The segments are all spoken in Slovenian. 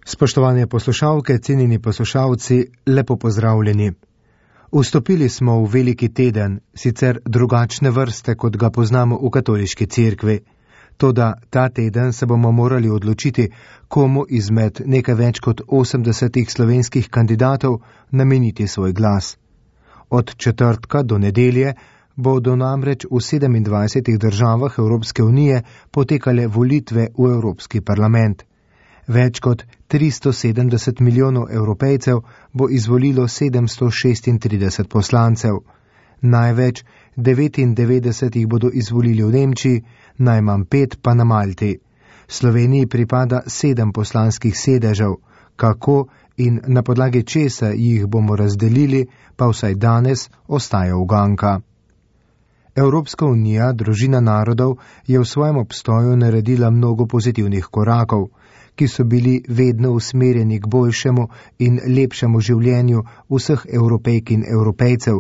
Spoštovane poslušalke, cenjeni poslušalci, lepo pozdravljeni. Vstopili smo v veliki teden, sicer drugačne vrste, kot ga poznamo v katoliški cerkvi. Toda ta teden se bomo morali odločiti, komu izmed nekaj več kot 80 slovenskih kandidatov nameniti svoj glas. Od četrtka do nedelje bodo namreč v 27 državah Evropske unije potekale volitve v Evropski parlament. Več kot 370 milijonov Evropejcev bo izvolilo 736 poslancev. Največ 99 jih bodo izvolili v Nemčiji, najmanj 5 pa na Malti. Sloveniji pripada 7 poslanskih sedežev. Kako in na podlagi česa jih bomo razdelili, pa vsaj danes ostaja uganka. Evropska unija, družina narodov, je v svojem obstoju naredila mnogo pozitivnih korakov, ki so bili vedno usmerjeni k boljšemu in lepšemu življenju vseh Evropejk in Evropejcev,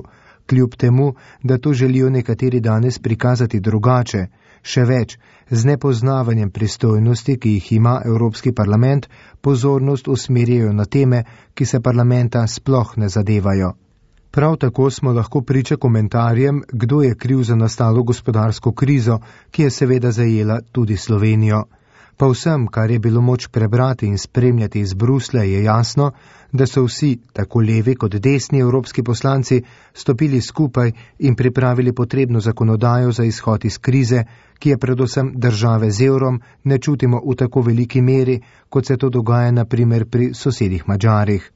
kljub temu, da to želijo nekateri danes prikazati drugače, še več, z nepoznavanjem pristojnosti, ki jih ima Evropski parlament, pozornost usmerjajo na teme, ki se parlamenta sploh ne zadevajo. Prav tako smo lahko priča komentarjem, kdo je kriv za nastalo gospodarsko krizo, ki je seveda zajela tudi Slovenijo. Pa vsem, kar je bilo moč prebrati in spremljati iz Bruslja, je jasno, da so vsi, tako levi kot desni evropski poslanci, stopili skupaj in pripravili potrebno zakonodajo za izhod iz krize, ki je predvsem države z evrom ne čutimo v tako veliki meri, kot se to dogaja na primer pri sosedih Madžarih.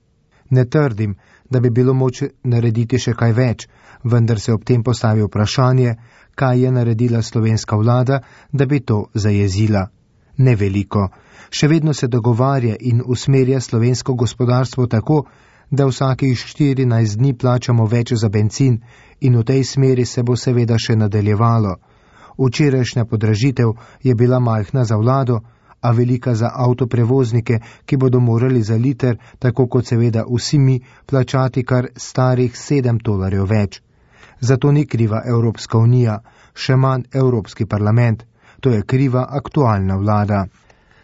Ne trdim, da bi bilo moč narediti še kaj več, vendar se ob tem postavi vprašanje, kaj je naredila slovenska vlada, da bi to zajezila. Ne veliko. Še vedno se dogovarja in usmerja slovensko gospodarstvo tako, da vsakih 14 dni plačamo več za bencin in v tej smeri se bo seveda še nadaljevalo. Včerajšnja podražitev je bila majhna za vlado, a velika za avtoprevoznike, ki bodo morali za liter, tako kot seveda vsi mi, plačati kar starih $7 več. Zato ni kriva Evropska unija, še manj Evropski parlament. To je kriva aktualna vlada.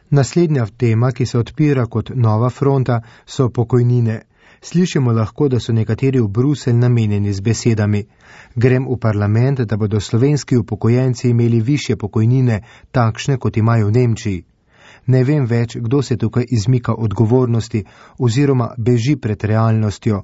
Naslednja tema, ki se odpira kot nova fronta, so pokojnine. Slišimo lahko, da so nekateri v Bruselj namenjeni z besedami. Grem v parlament, da bodo slovenski upokojenci imeli višje pokojnine, takšne kot imajo v Nemčiji. Ne vem več, kdo se tukaj izmika odgovornosti oziroma beži pred realnostjo.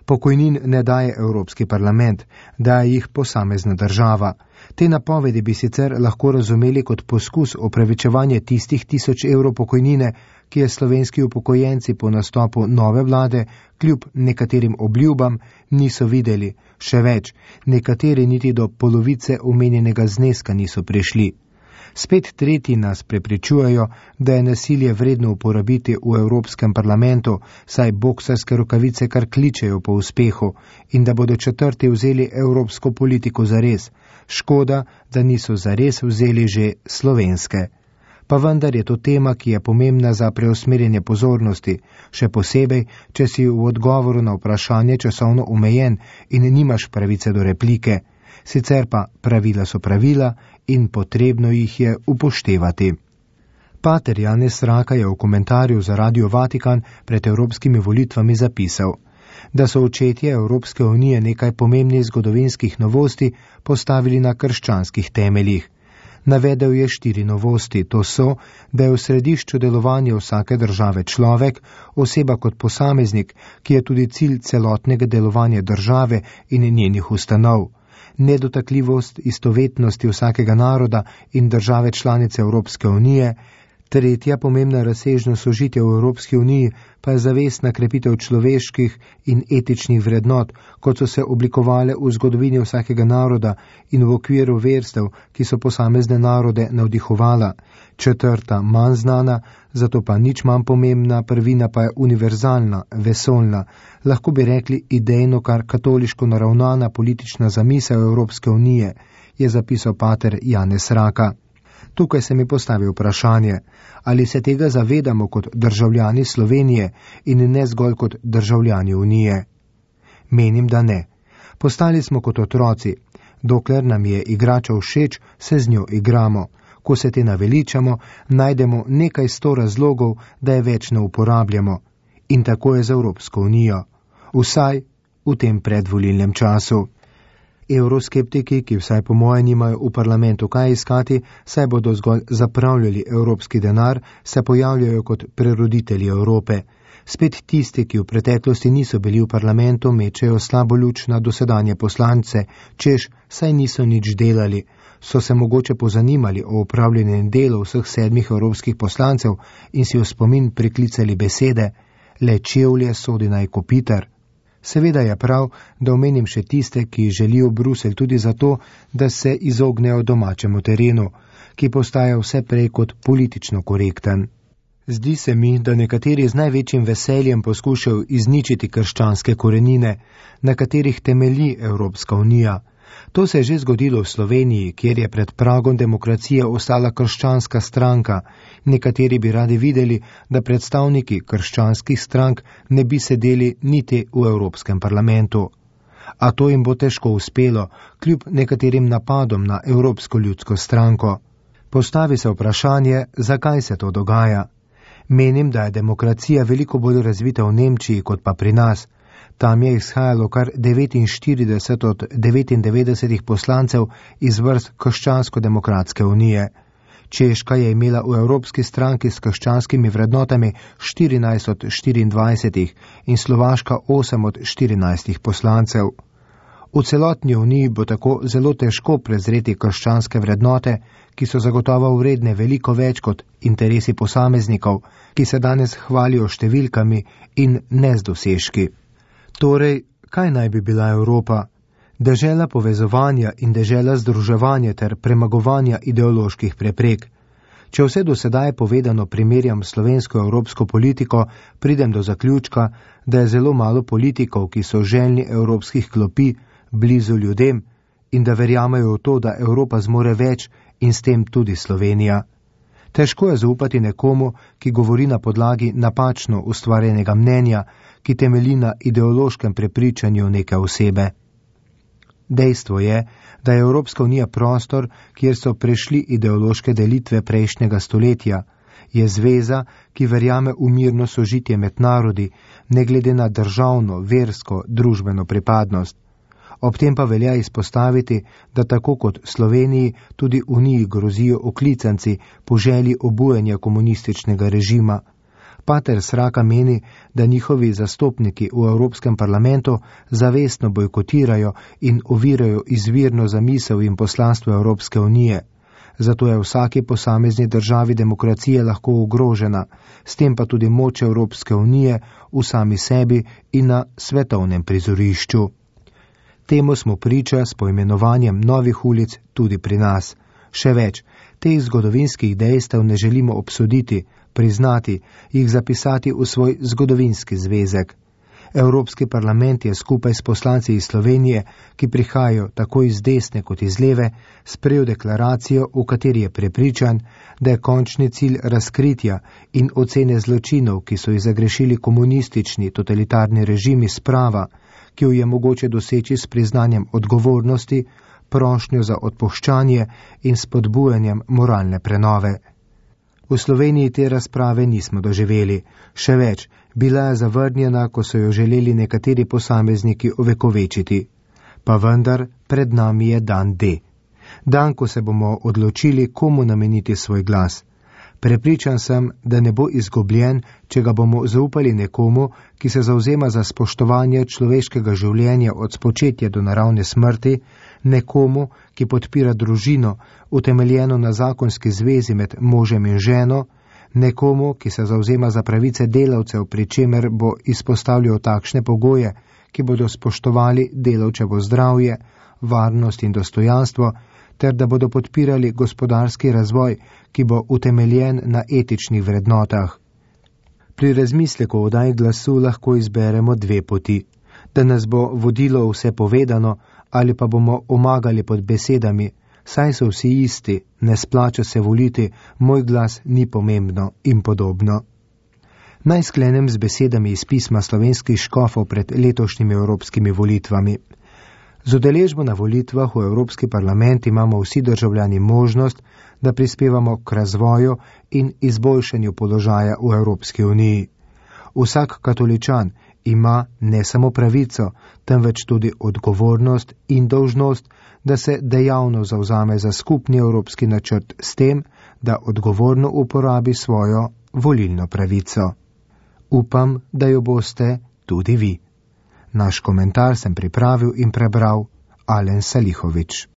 Pokojnin ne daje Evropski parlament, daje jih posamezna država. Te napovedi bi sicer lahko razumeli kot poskus opravičevanja tistih 1000 evrov pokojnine, ki je slovenski upokojenci po nastopu nove vlade, kljub nekaterim obljubam, niso videli. Še več, nekateri niti do polovice omenjenega zneska niso prišli. Spet tretji nas prepričujejo, da je nasilje vredno uporabiti v Evropskem parlamentu, saj boksarske rokavice kar kličejo po uspehu in da bodo četrti vzeli evropsko politiko zares. Škoda, da niso zares vzeli že slovenske. Pa vendar je to tema, ki je pomembna za preusmerjanje pozornosti, še posebej, če si v odgovoru na vprašanje časovno omejen in nimaš pravice do replike. Sicer pa pravila so pravila in potrebno jih je upoštevati. Pater Janez Raka je v komentarju za Radio Vatikan pred evropskimi volitvami zapisal, da so očetje Evropske unije nekaj pomembnih zgodovinskih novosti postavili na krščanskih temeljih. Navedel je 4 novosti, to so, da je v središču delovanja vsake države človek, oseba kot posameznik, ki je tudi cilj celotnega delovanja države in njenih ustanov. Nedotakljivost istovetnosti vsakega naroda in države članice Evropske unije. Tretja pomembna razsežnost sožitja v Evropski uniji pa je zavestna krepitev človeških in etičnih vrednot, kot so se oblikovale v zgodovini vsakega naroda in v okviru verstev, ki so posamezne narode navdihovala. Četrta, manj znana, zato pa nič manj pomembna prvina pa je univerzalna, vesoljna, lahko bi rekli idejno kar katoliško naravnana politična zamisel Evropske unije, je zapisal pater Janez Raka. Tukaj se mi postavi vprašanje, ali se tega zavedamo kot državljani Slovenije in ne zgolj kot državljani Unije. Menim, da ne. Postali smo kot otroci. Dokler nam je igrača všeč, se z njo igramo. Ko se te naveličamo, najdemo nekaj 100 razlogov, da je več ne uporabljamo. In tako je z Evropsko unijo. Vsaj v tem predvolilnem času. Evroskeptiki, ki vsaj po moje nimajo v parlamentu kaj iskati, saj bodo zgolj zapravljali evropski denar, se pojavljajo kot preroditelji Evrope. Spet tisti, ki v preteklosti niso bili v parlamentu, mečejo slabo luč na dosedanje poslance, češ, saj niso nič delali. So se mogoče pozanimali o upravljanju delu vseh 7 evropskih poslancev in si v spomin priklicali besede, le čevlje sodi naj kopitar. Seveda je prav, da omenim še tiste, ki želijo Bruselj tudi zato, da se izognejo domačemu terenu, ki postaja vse prej kot politično korekten. Zdi se mi, da nekateri z največjim veseljem poskušajo izničiti krščanske korenine, na katerih temelji Evropska unija. To se je že zgodilo v Sloveniji, kjer je pred pragom demokracije ostala krščanska stranka. Nekateri bi radi videli, da predstavniki krščanskih strank ne bi sedeli niti v Evropskem parlamentu. A to jim bo težko uspelo, kljub nekaterim napadom na Evropsko ljudsko stranko. Postavi se vprašanje, zakaj se to dogaja. Menim, da je demokracija veliko bolj razvita v Nemčiji kot pa pri nas. Tam je izhajalo kar 49 od 99 poslancev iz vrst Krščansko-demokratske unije. Češka je imela v Evropski stranki s krščanskimi vrednotami 14 od 24 in Slovaška 8 od 14 poslancev. V celotni uniji bo tako zelo težko prezreti krščanske vrednote, ki so zagotovo vredne veliko več kot interesi posameznikov, ki se danes hvalijo številkami in ne z dosežki. Torej, kaj naj bi bila Evropa? Dežela povezovanja in dežela združevanja ter premagovanja ideoloških preprek. Če vse do sedaj povedano primerjam slovensko-evropsko politiko, pridem do zaključka, da je zelo malo politikov, ki so željni evropskih klopi, blizu ljudem in da verjamejo v to, da Evropa zmore več in s tem tudi Slovenija. Težko je zaupati nekomu, ki govori na podlagi napačno ustvarjenega mnenja, ki temelji na ideološkem prepričanju neke osebe. Dejstvo je, da je Evropska unija prostor, kjer so prešli ideološke delitve prejšnjega stoletja, je zveza, ki verjame v mirno sožitje med narodi, ne glede na državno, versko, družbeno pripadnost. Ob tem pa velja izpostaviti, da tako kot Sloveniji, tudi Uniji grozijo oklicanci po želji obujanja komunističnega režima. Pater Sraka meni, da njihovi zastopniki v Evropskem parlamentu zavestno bojkotirajo in ovirajo izvirno zamisel in poslanstvo Evropske unije. Zato je vsaki posamezni državi demokracije lahko ogrožena, s tem pa tudi moč Evropske unije v sami sebi in na svetovnem prizorišču. Temu smo priča s poimenovanjem novih ulic tudi pri nas. Še več, teh zgodovinskih dejstev ne želimo obsoditi, priznati, jih zapisati v svoj zgodovinski zvezek. Evropski parlament je skupaj s poslanci iz Slovenije, ki prihajajo tako iz desne kot iz leve, sprejel deklaracijo, v kateri je prepričan, da je končni cilj razkritja in ocene zločinov, ki so jih zagrešili komunistični totalitarni režimi, sprava, ki jo je mogoče doseči s priznanjem odgovornosti, prošnjo za odpuščanje in spodbujanjem moralne prenove. V Sloveniji te razprave nismo doživeli. Še več, bila je zavrnjena, ko so jo želeli nekateri posamezniki ovekovečiti. Pa vendar, pred nami je dan D. Dan, ko se bomo odločili, komu nameniti svoj glas. Prepričan sem, da ne bo izgubljen, če ga bomo zaupali nekomu, ki se zavzema za spoštovanje človeškega življenja od spočetja do naravne smrti, nekomu, ki podpira družino, utemeljeno na zakonski zvezi med možem in ženo, nekomu, ki se zavzema za pravice delavcev, pri čemer bo izpostavljal takšne pogoje, ki bodo spoštovali delavčevo zdravje, varnost in dostojanstvo, ter da bodo podpirali gospodarski razvoj, ki bo utemeljen na etičnih vrednotah. Pri razmisleku o oddaji glasu lahko izberemo dve poti, da nas bo vodilo vse povedano ali pa bomo omagali pod besedami, saj so vsi isti, ne splača se voliti, moj glas ni pomembno in podobno. Naj sklenem z besedami iz pisma slovenskih škofov pred letošnjimi evropskimi volitvami. Z udeležbo na volitvah v Evropski parlament imamo vsi državljani možnost, da prispevamo k razvoju in izboljšanju položaja v Evropski uniji. Vsak katoličan ima ne samo pravico, temveč tudi odgovornost in dolžnost, da se dejavno zavzame za skupni evropski načrt s tem, da odgovorno uporabi svojo volilno pravico. Upam, da jo boste tudi vi. Naš komentar sem pripravil in prebral Alen Salihović.